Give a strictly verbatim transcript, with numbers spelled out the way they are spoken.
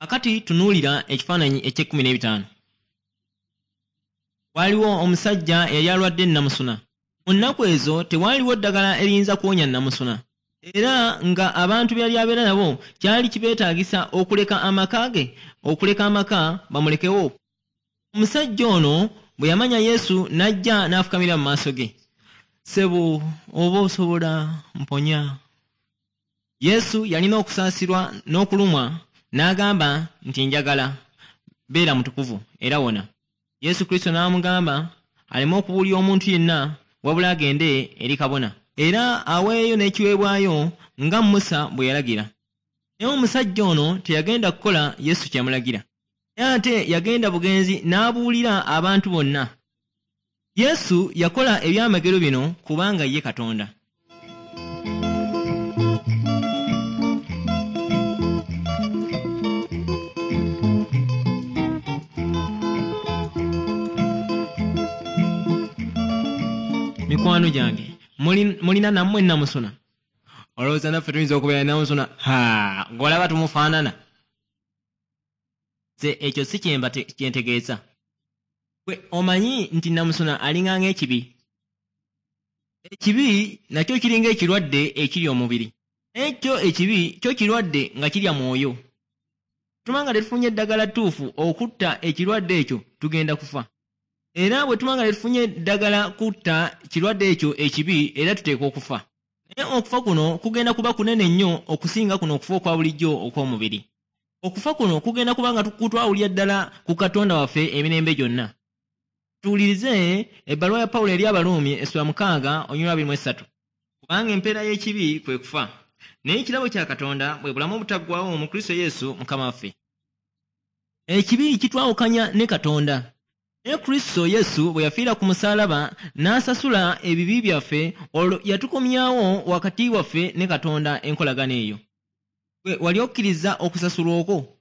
Akati tunuulira ekifaananyi eky'ekkumi n'ebitaano. Waaliwo omusajja eyali alwadde nnamusuna. Mu nnaku ezo tewaaliwo ddagala eriyinza kuwonya nnamusuna. Era nga abantu be yali abeera nabo kyali kibeetaagisa okuleka amaka ge, okuleka amaka bamulekewo. Omusajja ono bwe yamanya Yesu n'ajja n'afukamira mu maaso ge. Ssebo, oba osobola mponya. Yesu yalina okusaasirwa n'okulumwa n'agamba nti njagala, beera mutukuvu era wona. Yesu Kristo n'amugamba aleme okubuulira omuntu yenna wabula agende eri kabona era aweeyo n'ekiweebwayo nga Musa bwe yalagira. Naye omusajja ono teyagenda kukola Yesu kye yamulagira. Naye ate yagenda bugenzi n'abuulira abantu bonna. Yesu yakola ebyamagero bino kubanga ye Katonda. Mikwano gyange, mulina nammwe nnamusuna? Olowooza naffe tuyinza okubeera nnamusuna? Ha, ng'olaba tumufaanana. Nze ekyo si kyemba kye ntegeeza. Gwe omanyi nti nnamusuna alinga ng'ekibi. Ekibi nakyo kiringa ekirwadde ekiri omubiri. Naye kyo ekibi kyo kirwadde nga kirya mwoyo. Tuba nga tetufunye eddagala ttuufu okutta ekirwadde ekyo tugenda kufa. Era bwe tuba nga tetufunye ddagala kutta kirwadde ekyo ekibi era tuteekwa okufa. Naye okufa kuno kugenda kuba kunene nnyo okusinga kuno okufa okwa bulijjo okw'omubiri. Okufa kuno kugenda kuba nga kutwawulira ddala ku Katonda waffe emirembe gyonna. Tuwulirize ebbaluwa ya Pawulo eri Abaruumi essula mukaaga olunyiriri abiri mu essatu. Kubanga empeera y'ekibi kwe kufa, naye ekirabo kya Katonda bwe bulamu obutaggwaawo mu Kristo Yesu Mukama waffe. Ekibi kitwawukanya ne Katonda. Naye Kristo Yesu bwe yafiira ku musaalaba n'asasula ebibi byaffe, olwo yatukomyawo wakati waffe ne Katonda enkolagana eyo. Gwe wali okkiriza okusasulwa okwo?